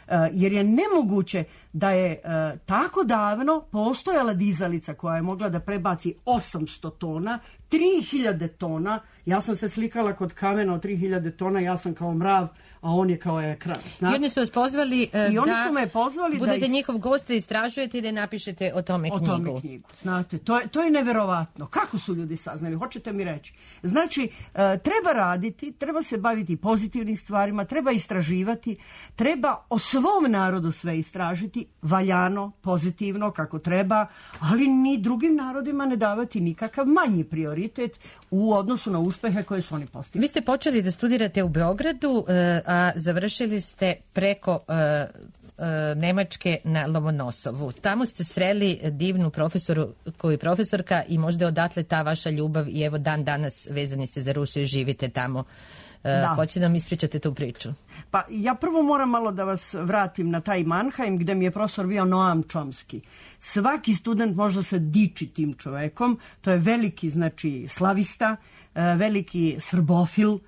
Uh, jer je nemoguće da je uh, tako davno postojala dizalica koja je mogla da prebaci osamsto tona, tri hiljade tona. Ja sam se slikala kod kamena od tri hiljade tona, ja sam kao mrav, a on je kao ekran. I oni su vas pozvali uh, I oni da su me pozvali budete da is... njihov gost, da istražujete i da napišete o tome o knjigu. O tome knjigu, znate, to je, to je neverovatno. Kako su ljudi saznali, hoćete mi reći? Znači, uh, treba raditi, treba se baviti pozitivnim stvarima, treba istraživati, treba o svom narodu sve istražiti, valjano, pozitivno, kako treba, ali ni drugim narodima ne davati nikakav manji prioritet u odnosu na uspehe koje su oni postigli. Vi ste počeli da studirate u Beogradu, a završili ste preko Nemačke na Lomonosovu. Tamo ste sreli divnu profesoru koju je profesorka i možda odatle ta vaša ljubav i evo dan danas vezani ste za Rusiju i živite tamo. Da. Hoćete da mi ispričate tu priču? Pa ja prvo moram malo da vas vratim na taj Mannheim gde mi je profesor bio Noam Chomsky. Svaki student može se diči tim čovekom. To je veliki, znači, slavista, veliki srbofil.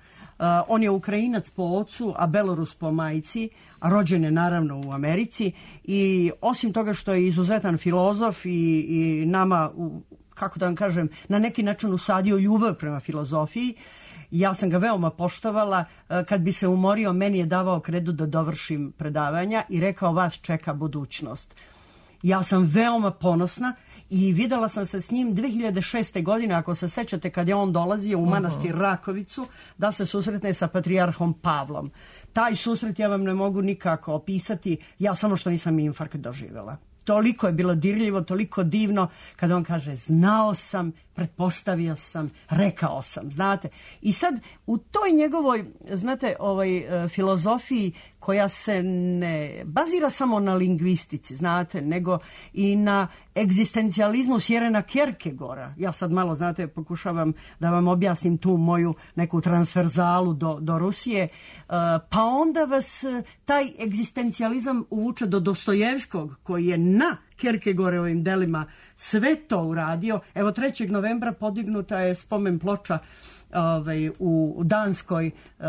On je Ukrajinac po ocu, a Belorus po majci, a rođen je naravno u Americi. I osim toga što je izuzetan filozof i, i nama, kako da vam kažem, na neki način usadio ljubav prema filozofiji, ja sam ga veoma poštovala. Kad bi se umorio, meni je davao kredu da dovršim predavanja i rekao, vas čeka budućnost. Ja sam veoma ponosna i videla sam se s njim dve hiljade šeste. godine, ako se sećate, kad je on dolazio u manastir Rakovicu da se susretne sa patrijarhom Pavlom. Taj susret ja vam ne mogu nikako opisati, ja samo što nisam infarkt doživjela. Toliko je bilo dirljivo, toliko divno kada on kaže znao sam, pretpostavio sam, rekao sam, znate. I sad u toj njegovoj, znate, ovaj, filozofiji koja se ne bazira samo na lingvistici, znate, nego i na egzistencijalizmu Sjerena Kierkegaarda. Ja sad malo, znate, pokušavam da vam objasnim tu moju neku transverzalu do, do Rusije. Pa onda vas taj egzistencijalizam uvuče do Dostojevskog, koji je na Kierkegaardovim delima sve to uradio. Evo, trećeg novembra podignuta je spomen ploča ovaj, u Danskoj uh,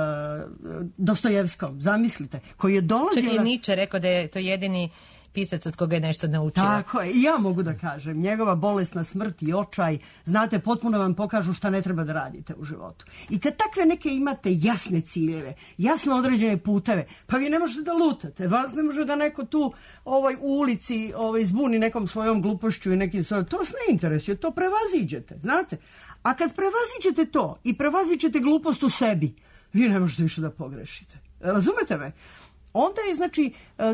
Dostojevskom, zamislite, koji je dolazio... Čak i Nietzsche rekao da je to jedini pisac od koga je nešto naučio. Tako je, i ja mogu da kažem, njegova bolesna smrt i očaj, znate, potpuno vam pokažu šta ne treba da radite u životu. I kad takve neke imate jasne ciljeve, jasno određene puteve, pa vi ne možete da lutate, vas ne može da neko tu ovaj, u ulici ovaj, zbuni nekom svojom glupošću i nekim svojom, to vas ne interesuje, to prevaziđete, znate. A kad prevaziđete to i prevaziđete glupost u sebi, vi ne možete više da pogrešite. Razumete me? Onda je, znači,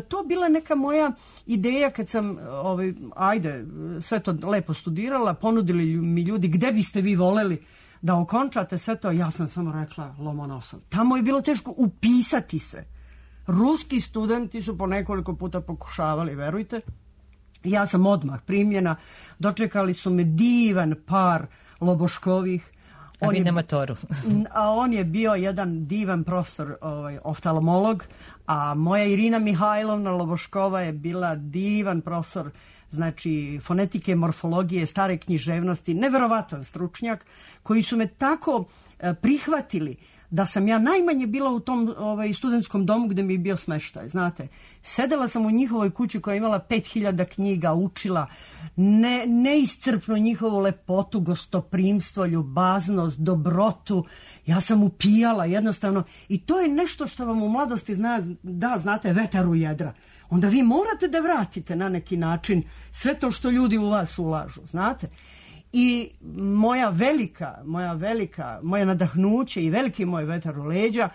to bila neka moja ideja kad sam, ovaj, ajde, sve to lepo studirala, ponudili mi ljudi gde biste vi voleli da okončate sve to, ja sam samo rekla Lomonosov. Tamo je bilo teško upisati se. Ruski studenti su po nekoliko puta pokušavali, verujte. Ja sam odmah primljena, dočekali su me divan par Loboškovih. A vi na motoru. A on je bio jedan divan profesor, ovaj, oftalmolog, a moja Irina Mihajlovna Loboškova je bila divan profesor, znači fonetike, morfologije, stare književnosti, neverovatan stručnjak, koji su me tako eh, prihvatili da sam ja najmanje bila u tom ovaj, studentskom domu gde mi je bio smeštaj, znate. Sedela sam u njihovoj kući koja je imala pet hiljada knjiga, učila ne, neiscrpno njihovu lepotu, gostoprimstvo, ljubaznost, dobrotu. Ja sam upijala jednostavno i to je nešto što vam u mladosti zna, da, znate, vetar u jedra. Onda vi morate da vratite na neki način sve to što ljudi u vas ulažu, znate. I moja velika, moja velika, moje nadahnuće i veliki moj vetar u leđa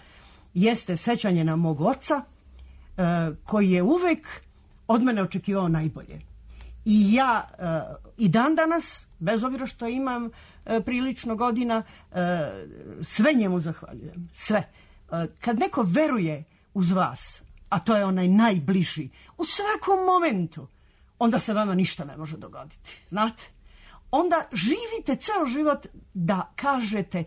jeste sećanje na mog oca, e, koji je uvek od mene očekivao najbolje. I ja e, i dan danas, bez obzira što imam e, prilično godina, e, sve njemu zahvaljujem. Sve. E, kad neko veruje uz vas, a to je onaj najbliži, u svakom momentu, onda se vama ništa ne može dogoditi. Znate? Onda živite ceo život da kažete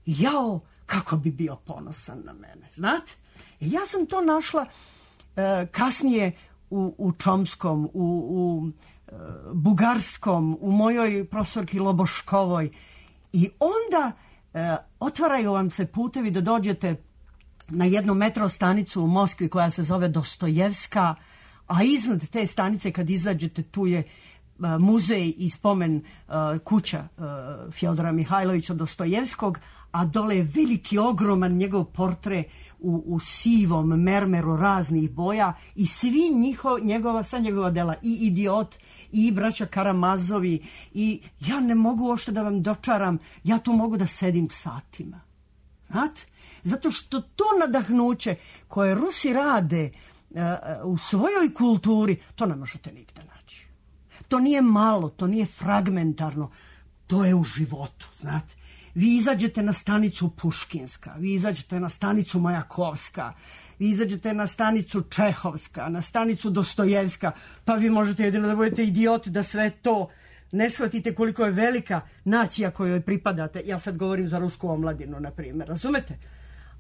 jao, kako bi bio ponosan na mene. Znate? Ja sam to našla e, kasnije u, u Čomskom, u, u e, Bugarskom, u mojoj profesorki Loboškovoj. I onda e, otvaraju vam se putevi da dođete na jednu metro stanicu u Moskvi koja se zove Dostojevska, a iznad te stanice kad izađete tu je muzej i spomen uh, kuća uh, Fjodora Mihajlovića Dostojevskog, a dole je veliki, ogroman njegov portre u, u sivom mermeru raznih boja i svi njiho, njegova, sva njegova dela, i Idiot, i braća Karamazovi, i ja ne mogu uopšte da vam dočaram, ja tu mogu da sedim satima. Znate? Zato što to nadahnuće koje Rusi rade uh, u svojoj kulturi, to ne možete nigde naći. To nije malo, to nije fragmentarno, to je u životu, znate. Vi izađete na stanicu Puškinska, vi izađete na stanicu Majakovska, vi izađete na stanicu Čehovska, na stanicu Dostojevska, pa vi možete jedino da budete idiot da sve to ne shvatite koliko je velika nacija kojoj pripadate. Ja sad govorim za rusku omladinu, na primjer, razumete?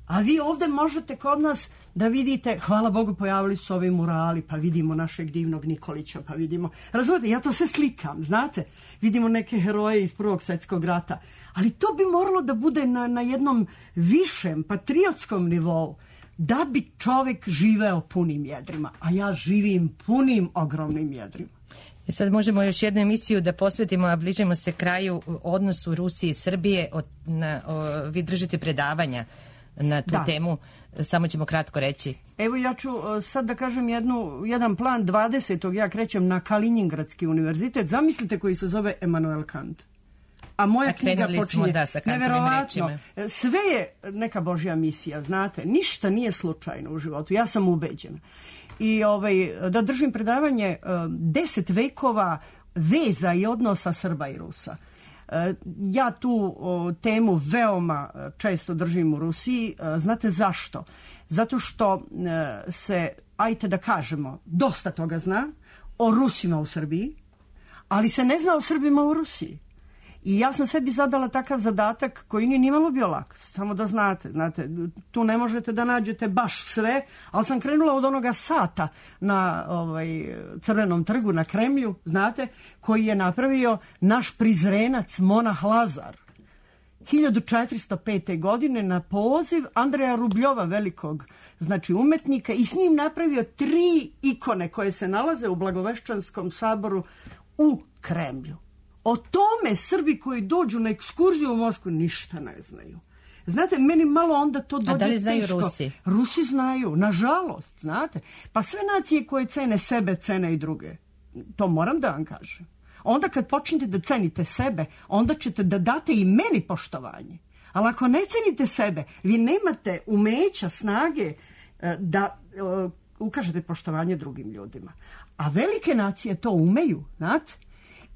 A vi ovde možete kod nas da vidite, hvala Bogu, pojavili su ovi murali, pa vidimo našeg divnog Nikolića, pa vidimo, razumete, ja to sve slikam, znate, vidimo neke heroje iz Prvog svjetskog rata, ali to bi moralo da bude na, na jednom višem, patriotskom nivou, da bi čovek živeo punim jedrima, a ja živim punim, ogromnim jedrima. I sad možemo još jednu emisiju da posvetimo, a bližimo se kraju, odnosu Rusije i Srbije. O, na, o, vi držite predavanja na tu da. temu, samo ćemo kratko reći. Evo ja ću sad da kažem jednu, jedan plan dvadesetog ja krećem na Kaliningradski univerzitet, zamislite, koji se zove Emanuel Kant. A moja a knjiga počinje da, sa neverovatno. Sve je neka Božja misija, znate, ništa nije slučajno u životu, ja sam ubeđena. I ovaj, da držim predavanje deset vekova veza i odnosa Srba i Rusa. Ja tu o, temu veoma često držim u Rusiji. Znate zašto? Zato što e, se, ajte da kažemo, dosta toga zna o Rusima u Srbiji, ali se ne zna o Srbima u Rusiji. I ja sam sebi zadala takav zadatak koji nije nimalo bio lak. Samo da znate, znate, tu ne možete da nađete baš sve, ali sam krenula od onoga sata na ovaj, Crvenom trgu na Kremlju, znate, koji je napravio naš prizrenac monah Lazar. hiljadu četiristo pete. godine na poziv Andreja Rubljova, velikog, znači umetnika, i s njim napravio tri ikone koje se nalaze u Blagoveščanskom saboru u Kremlju. O tome Srbi koji dođu na ekskurziju u Moskvu ništa ne znaju. Znate, meni malo onda to dođe teško. A da li znaju teško. Rusi? Rusi znaju, nažalost, znate. Pa sve nacije koje cene sebe, cene i druge. To moram da vam kažem. Onda kad počnete da cenite sebe, onda ćete da date i meni poštovanje. Ali ako ne cenite sebe, vi nemate umeća, snage da ukažete poštovanje drugim ljudima. A velike nacije to umeju, znate.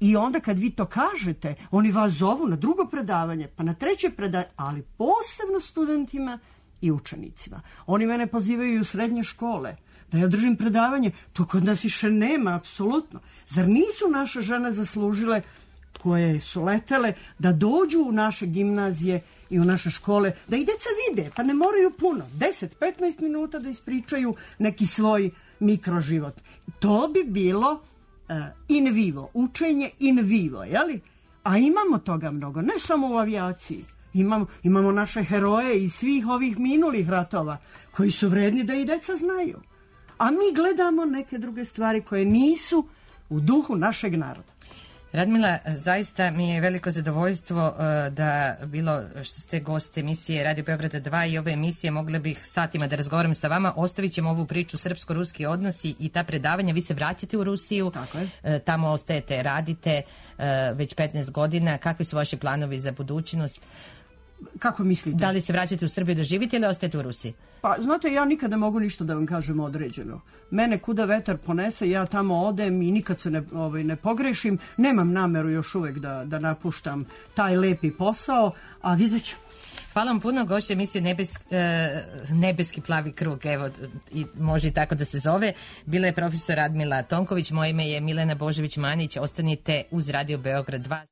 I onda kad vi to kažete, oni vas zovu na drugo predavanje, pa na treće predavanje, ali posebno studentima i učenicima. Oni mene pozivaju i u srednje škole, da ja držim predavanje. To kod nas više nema, apsolutno. Zar nisu naše žene zaslužile, koje su letele, da dođu u naše gimnazije i u naše škole, da i deca vide, pa ne moraju puno, deset do petnaest minuta da ispričaju neki svoj mikroživot. To bi bilo in vivo, učenje in vivo, jeli? A imamo toga mnogo, ne samo u avijaciji. Imamo, imamo naše heroje iz svih ovih minulih ratova koji su vredni da i deca znaju. A mi gledamo neke druge stvari koje nisu u duhu našeg naroda. Radmila, zaista mi je veliko zadovoljstvo uh, da bilo što ste gost emisije Radio Beograda dva i ove emisije, mogla bih satima da razgovaram sa vama. Ostavit ćemo ovu priču srpsko-ruski odnosi i ta predavanja. Vi se vraćate u Rusiju, Tako je. Uh, tamo ostajete, radite uh, već petnaest godina. Kakvi su vaši planovi za budućnost? Kako mislite? Da li se vraćate u Srbiju da živite ili ostajete u Rusiji? Pa, znate, ja nikad ne mogu ništa da vam kažem određeno. Mene kuda vetar ponese, ja tamo odem i nikad se ne, ovaj, ne pogrešim. Nemam nameru još uvek da, da napuštam taj lepi posao, a vidjet ću. Hvala vam puno, gošće emisije Nebes, e, Nebeski plavi krug, evo, i može i tako da se zove. Bila je profesor Radmila Tonković, moje ime je Milena Božević-Manić, ostanite uz Radio Beograd dva.